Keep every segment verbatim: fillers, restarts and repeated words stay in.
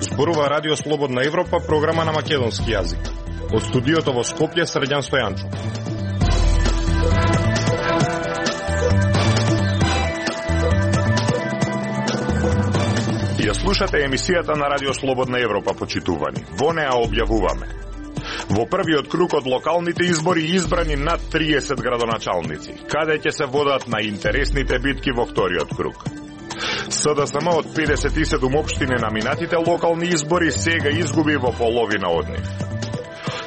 Зборува Радио Слободна Европа, програма на македонски јазик. Од студиото во Скопје, Срđan Стојанчо. Ја слушате емисијата на Радио Слободна Европа, почитувани. Во неа објавуваме: во првиот круг од локалните избори избрани над триесет градоначалници, каде ќе се водат најинтересните битки во вториот круг. СДСМ од педесет и седум општини на минатите локални избори сега изгуби во половина од нив.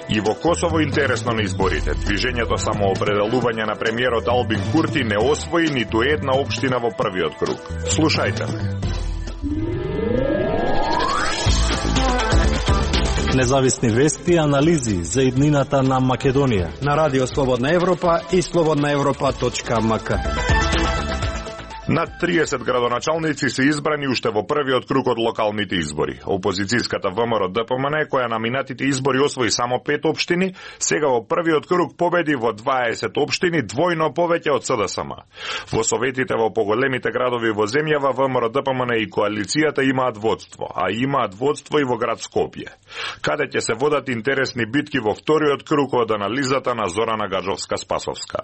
И во Косово интересно на изборите. Движењето самоопределување на премиерот Албин Курти не освои ниту една општина во првиот круг. Слушајте ме. Независни вести и анализи за иднината на Македонија на Радио Слободна Европа и слободна европа точка ем ка. Над триесет градоначалници се избрани уште во првиот круг од локалните избори. Опозицијската ВМРО-ДПМН, која на минатите избори освои само пет општини, сега во првиот круг победи во дваесет општини, двојно повеќе од СДСМ. Во советите во поголемите градови во земјава ВМРО-ДПМН и коалицијата имаат водство, а имаат водство и во град Скопје, каде ќе се водат интересни битки во вториот круг од анализата на Зорана Гаджовска-Спасовска.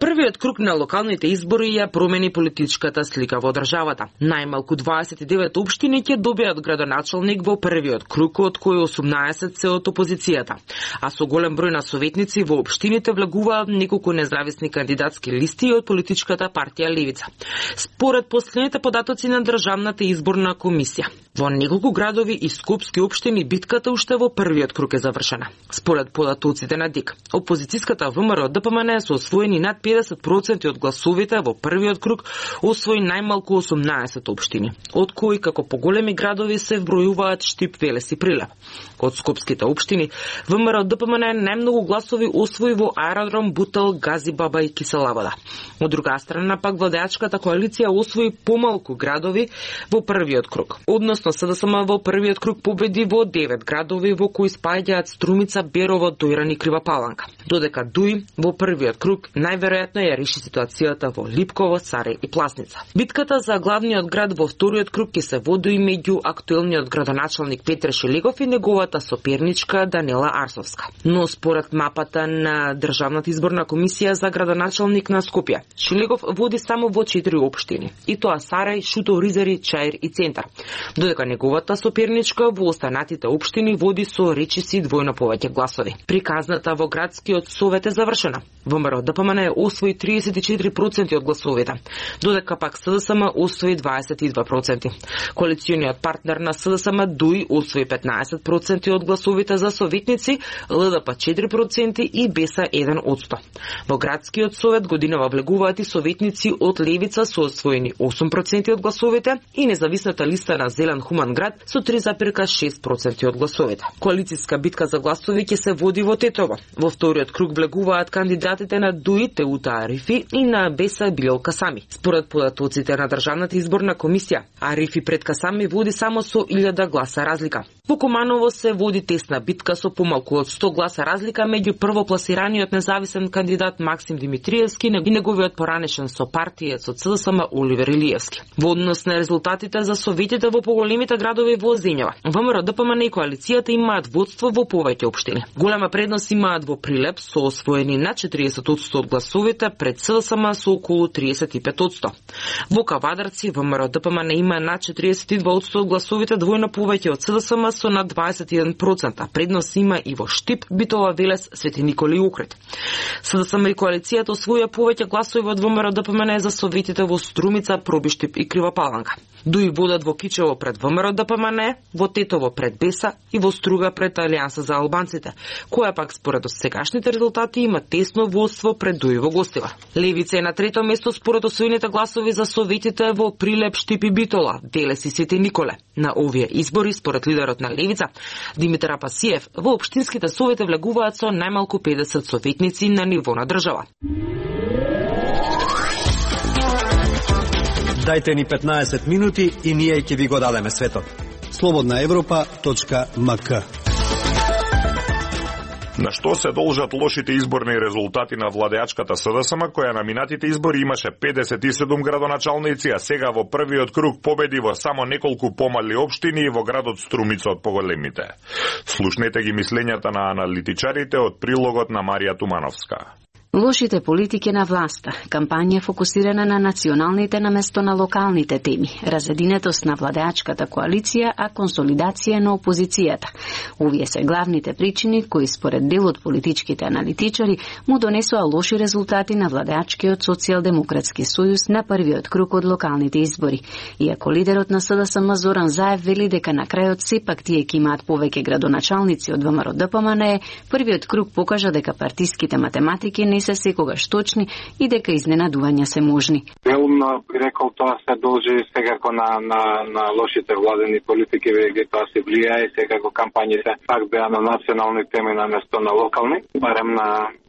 Првиот круг на локалните избори ја промени политичката слика во државата. Најмалку дваесет и девет општини ќе добијат градоначалник во првиот круг, од кои осумнаесет се од опозицијата. А со голем број на советници во општините влегуваат неколку независни кандидатски листи од политичката партија Левица. Според последните податоци на Државната изборна комисија, во неколку градови и скопски општини битката уште во првиот круг е завршена. Според податоците на ДИК, опозицијската ВМРО-ДПМН се освоени над педесет проценти од гласовите во првиот круг, освои најмалку осумнаесет општини, од кои како поголеми градови се вбројуваат Штип, Велес и Прилеп. Од скопските општини, ВМРО-ДПМН најмногу гласови освои во Аеродром, Бутел, Газибаба и Киселабада. Од друга страна пак владеачката коалиција освои помалку градови во првиот круг. Односно СДСМ во првиот круг победи во девет градови во кои спаѓаат Струмица, Берово, Дојран и Кривопаланка. Додека Дуј во првиот круг најверојатно ја реши ситуацијата во Липково, Царе и Пласница. Битката за главниот град во вториот круг ќе се води меѓу актуелниот градоначалник Петре Шилегов и неговата соперничка Данела Арсовска. Но според мапата на Државната изборна комисија за градоначалник на Скопје, Шилегов води само во четири општини, и тоа Сарај, Шутов, Ризари, Чаир и Центар, додека неговата соперничка во останатите општини води со речиси двојно повеќе гласови. Приказната во градскиот совет е завршена. ВМРО-ДПМН освои триесет и четири проценти од гласовите, додека пак СДСМ освои дваесет и два проценти. Коалициониот партнер на СДСМ Дуј освои петнаесет проценти од гласовите за советници, ЛДП четири проценти и Беса еден одсто. Во градскиот совет годинава влегуваат и советници од Левица со освоени осум проценти од гласовите и независната листа на Зелен Хуман град со три запирка шест проценти од гласовите. Коалицијска битка за гласови ќе се води во Тетово. Во вториот круг влегуваат кандидатите на Дуј, Теута Арифи и на Беса Билел Касами. Според податоците на Државната изборна комисија, Арифи пред Касами води само со илјада гласа разлика. Во Куманово се води тесна битка со помалку од сто гласа разлика меѓу првопласираниот независен кандидат Максим Димитриевски и неговиот поранешен сопартиец од СДСМ Оливер Илиевски. Во однос на резултатите за советите во поголемите градови во земјава, ВМРО-ДПМН и коалицијата имаат водство во повеќе општини. Голема предност имаат во Прилеп со освоени над четириесет одсто од гласовите пред СДСМ со околу триесет и пет одсто. Во Кавадарци ВМРО-ДПМН има над четириесет и два одсто од гласовите, двојно повеќе од СДСМ со над дваесет и еден проценти. Предност има и во Штип, Битола, Велес, Свети Николи и Охрид. СДСМ и коалицијата освоја повеќе гласови од ВМРО-ДПМН за советите во Струмица, Пробиштип и Кривопаланка. Дуј водат во Кичево пред ВМРО-ДПМН, во Тетово пред Беса и во Струга пред Алијанса за албанците, која пак според сегашните резултати има тесно водство пред Дуј во Гостива. Левица е на трето место според освоените гласови за советите во Прилеп, Штип и Битола, Велес и Свети Николе. На овие избори според лидерот на Левица, Димитар Апасиев, во општинските совети влегуваат со најмалку педесет советници на ниво на држава. Дајте ни петнаесет минути и ние ќе ви го дадеме светот. слободна европа точка ем ка. На што се должат лошите изборни резултати на владеачката СДСМ, која на минатите избори имаше педесет и седум градоначалници, а сега во првиот круг победи во само неколку помали општини и во градот Струмица од поголемите. Слушнете ги мислењата на аналитичарите од прилогот на Марија Тумановска. Лошите политики на власта, кампања фокусирана на националните наместо на локалните теми, разединетост на владеачката коалиција, а консолидација на опозицијата. Овие се главните причини кои според дел од политичките аналитичари му донесоа лоши резултати на владеачкиот социјалдемократски сојуз на првиот круг од локалните избори. Иако лидерот на СДСМ Зоран Заев вели дека на крајот сепак тие ќе имаат повеќе градоначалници од ВМРО Д П М Н Е, првиот круг покажа дека партиските математики не се секогаш точни и дека изненадувања се можни. Делумно би рекол тоа се должи секако на, на, на лошите владени политики, веќе тоа се влијае, секако кампањите пак беа на национални теми на место на локални, барем на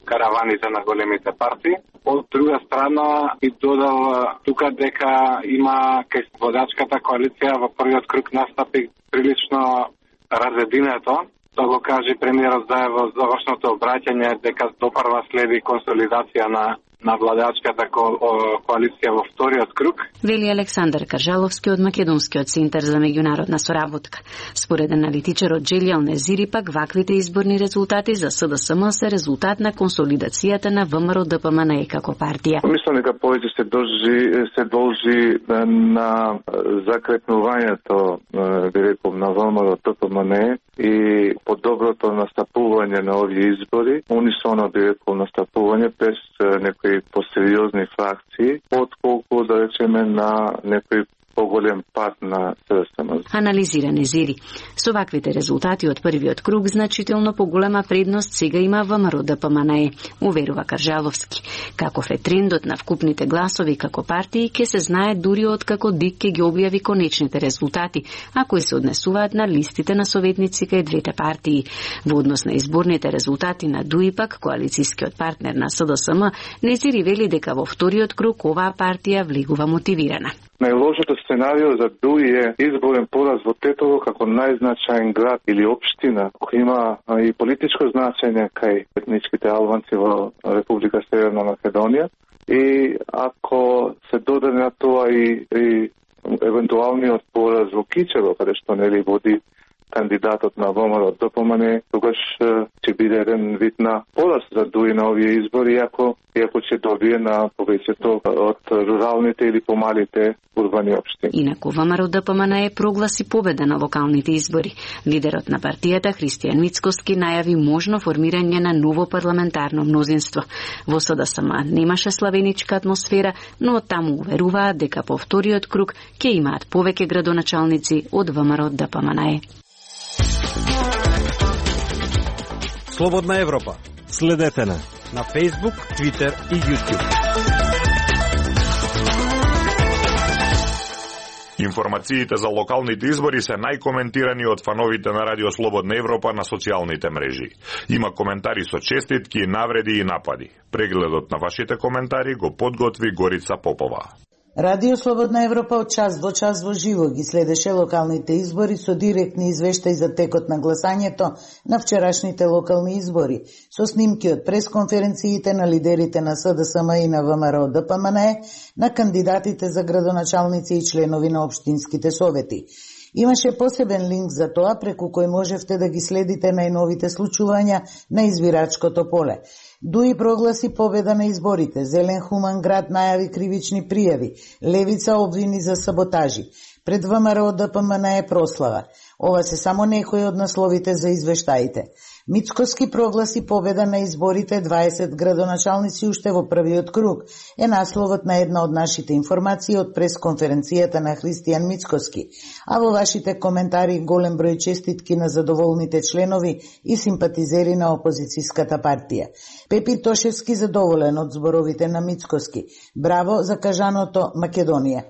караваните на големите партии. Од друга страна и додал тука дека има кај водачката коалиција во првиот круг настапи прилично разединето. Тоа го кажи премиерот Заев во завршното обраќање дека допрва следи консолидација на на владеачката ко, коалиција во вториот круг. Вели Александар Каржаловски од Македонскиот центар за меѓународна соработка. Според аналитичарот Джелјал Незири пак ваквите изборни резултати за СДСМ се резултат на консолидацијата на ВМРО Д П М Н Е како партија. Мислам дека повеќе се должи се должи на закрепнувањето, би рекол, на ВМРО Д П М Н Е и подоброто настапување на овие избори, унисоно би рекол настапување без некои посериозни фракции, отколку да речеме на некој поголем пат на СДСМ. Анализира Незири. Со ваквите резултати од првиот круг значително поголема предност сега има ВМРО Д П М Н Е, уверува Каржаловски. Каков е трендот на вкупните гласови како партии ќе се знае дури од како ДИК ќе ги објави конечните резултати, а кои се однесуваат на листите на советници кај двете партии. Во однос на изборните резултати на ДУИ пак, коалицискиот партнер на СДСМ, Незири вели дека во вториот круг оваа партија влегува мотивирана. Најлошото сценарио за ДУИ е изборен пораз во Тетово како најзначаен град или општина, која има и политичко значење кај етничките албанци во Република Северна Македонија. И ако се додаде на тоа и, и евентуалниот пораз во Кичево, каде што нели води кандидатот на ВМРО Д П М Н Е, тогаш ќе биде еден вид на пораз за ДУИ на овие избори, иако, иако ќе добие на повеќето од руралните или помалите урбани општини. Инаку ВМРО Д П М Н Е прогласи победа на локалните избори. Лидерот на партијата Христијан Мицкоски најави можно формирање на ново парламентарно мнозинство. Во СДСМ немаше славеничка атмосфера, но од таму уверуваат дека по вториот круг ќе имаат повеќе градоначалници од ВМРО Д П М Н Е. Слободна Европа. Следете на на Facebook, Twitter и YouTube. Информациите за локалните избори се најкоментирани од фановите на Радио Слободна Европа на социјалните мрежи. Има коментари со честитки, навреди и напади. Прегледот на вашите коментари го подготви Горица Попова. Радио Слободна Европа од час во час во живо ги следеше локалните избори со директни извештаи за текот на гласањето на вчерашните локални избори, со снимки од пресконференциите на лидерите на СДСМ и на ВМРО Д П М Н Е, на кандидатите за градоначалници и членови на општинските совети. Имаше посебен линк за тоа преку кој можевте да ги следите најновите случувања на избирачкото поле. ДУИ прогласи победа на изборите, Зелен Хуман град најави кривични пријави, Левица обвини за саботажи. Пред ВМРО Д П М Н Е прослава. Ова се само некои од насловите за извештаите. Мицкоски прогласи победа на изборите, дваесет градоначалници уште во првиот круг, е насловот на една од нашите информации од пресконференцијата на Христијан Мицкоски, а во вашите коментари голем број честитки на задоволните членови и симпатизери на опозицијската партија. Пепи Тошевски задоволен од зборовите на Мицкоски. Браво за кажаното Македонија.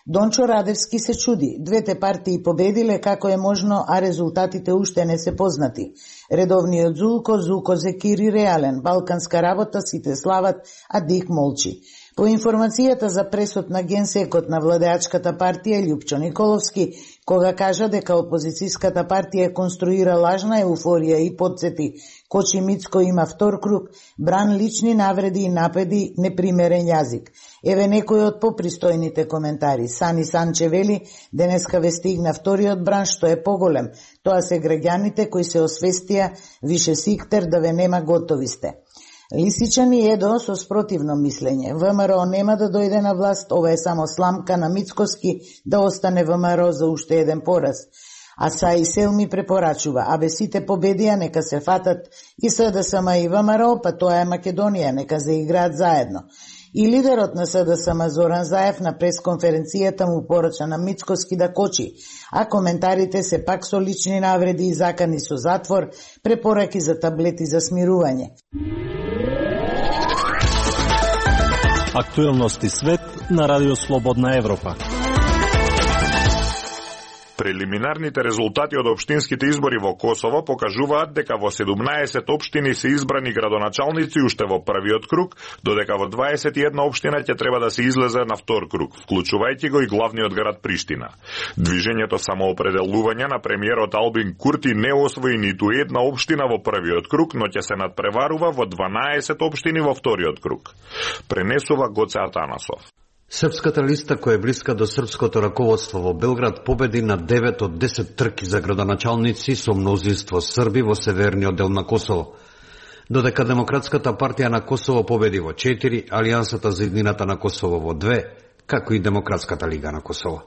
Дончо Радевски се чуди. Двете партии победиле, како е можно, а резултатите уште не се познати. Редовниот Зулко, Зуко Зекири реален. Балканска работа, сите слават, а Дик молчи. По информацијата за пресуд на генсекот на владеачката партија Љупчо Николовски, кога кажа дека опозицијската партија конструира лажна еуфорија и подсети Кочи Мицко има втор круг, бран лични навреди и напади, непримерен јазик. Еве некој од попристојните коментари. Сани Санче вели, денеска ве стигна вториот бран што е поголем. Тоа се граѓаните кои се освестија, више сиктер да ве нема готови сте. Лисичан и Едо со спротивно мислење. ВМРО нема да дојде на власт, ова е само сламка на Мицковски да остане ВМРО за уште еден пораз. А Саи Селми препорачува, абе сите победија нека се фатат и СДСМ и ВМРО, па тоа е Македонија, нека заиграат заедно. И лидерот на СДСМ Зоран Заев на пресконференцијата му порача на Мицковски да кочи, а коментарите се пак со лични навреди и закани со затвор, препораки за таблети за смирување. Актуелности свет на Радио Слободна Европа. Прелиминарните резултати од општинските избори во Косово покажуваат дека во седумнаесет општини се избрани градоначалници уште во првиот круг, додека во дваесет и една општина ќе треба да се излезе на втор круг, вклучувајќи го и главниот град Приштина. Движењето самоопределување на премиерот Албин Курти не освои ниту една општина во првиот круг, но ќе се надпреварува во дванаесет општини во вториот круг. Пренесува Гоце Атанасов. Српската листа, која е блиска до српското раководство во Белград, победи на девет од десет трки за градоначалници со мнозинство срби во северниот дел на Косово. Додека Демократската партија на Косово победи во четири, Алијансата за иднината на Косово во две, како и Демократската лига на Косово.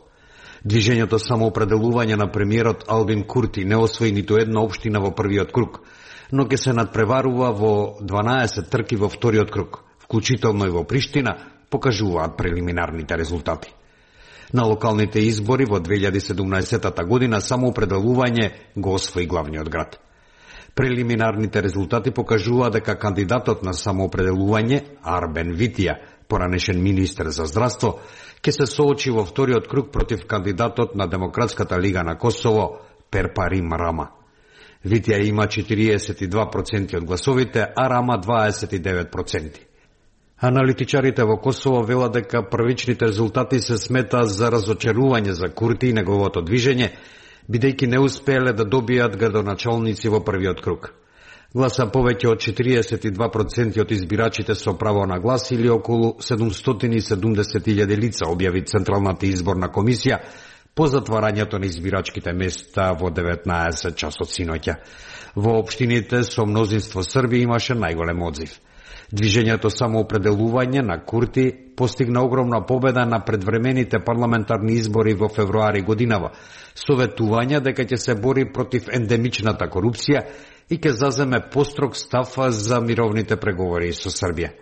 Движењето самоопределување на премиерот Албин Курти не освои ниту една општина во првиот круг, но ќе се надпреварува во дванаесет трки во вториот круг, вклучително и во Приштина, покажуваат прелиминарните резултати. На локалните избори во две илјади и седумнаесета година самоопределување го освои главниот град. Прелиминарните резултати покажуваат дека кандидатот на самоопределување, Арбен Витија, поранешен министер за здравство, ќе се соочи во вториот круг против кандидатот на Демократската лига на Косово, Перпарим Рама. Витија има четириесет и два проценти од гласовите, а Рама дваесет и девет проценти. Аналитичарите во Косово велат дека првичните резултати се смета за разочарување за Курти и неговото движење, бидејќи не успееле да добијат градоначалници во првиот круг. Гласа повеќе од четириесет и два проценти од избирачите со право на глас или околу седумстотини и седумдесет илјади лица, објави Централната изборна комисија по затварањето на избирачките места во деветнаесет часот синоќа. Во општините со мнозинство срби имаше најголем одзив. Движењето самоопределување на Курти постигна огромна победа на предвремените парламентарни избори во февруари годинава, советување дека ќе се бори против ендемичната корупција и ќе заземе построг став за мировните преговори со Србија.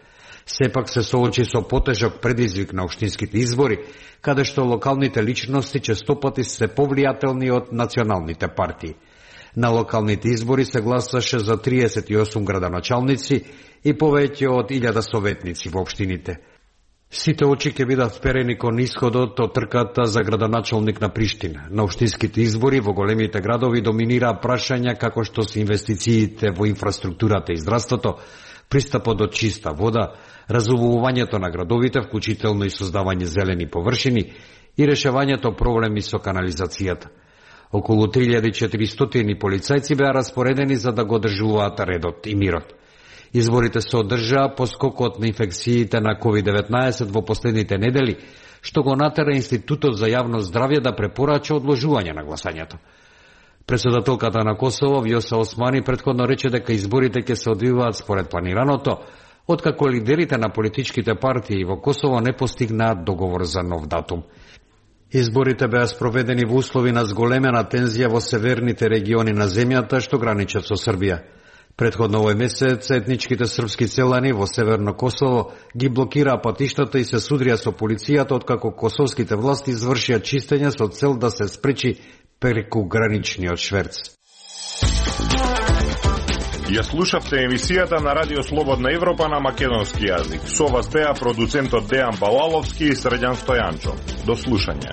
Сепак се соочи со потежок предизвик на општинските избори, каде што локалните личности честопати се повлијателни од националните партии. На локалните избори се гласаше за триесет и осум градоначалници и повеќе од илјада советници во општините. Сите очи ќе бидат вперени кон исходот од трката за градоначалник на Приштина. На општинските избори во големите градови доминира прашања како што се инвестициите во инфраструктурата и здравството, пристапот до чиста вода, разувувањето на градовите, вклучително и создавање зелени површини и решавањето проблеми со канализацијата. Околу три илјади и четиристотини полицајци беа распоредени за да го одржуваат редот и мирот. Изборите се одржаа по скокот на инфекциите на ковид деветнаесет во последните недели, што го натера Институтот за јавно здравје да препорача одложување на гласањето. Претседателката на Косово, Вјоса Османи, претходно рече дека изборите ќе се одвиваат според планираното, откако лидерите на политичките партии во Косово не постигнаат договор за нов датум. Изборите беа спроведени во услови на зголемена тензија во северните региони на земјата што граничат со Србија. Предходно овој месец етничките српски селани во Северно Косово ги блокираа патиштата и се судрија со полицијата откако косовските власти извршија чистење со цел да се спречи прекуграничниот шверц. Ја слушавте емисијата на Радио Слободна Европа на македонски јазик. Со вас беа продуцентот Дејан Балаловски и Срđan Стојанчо. До слушање.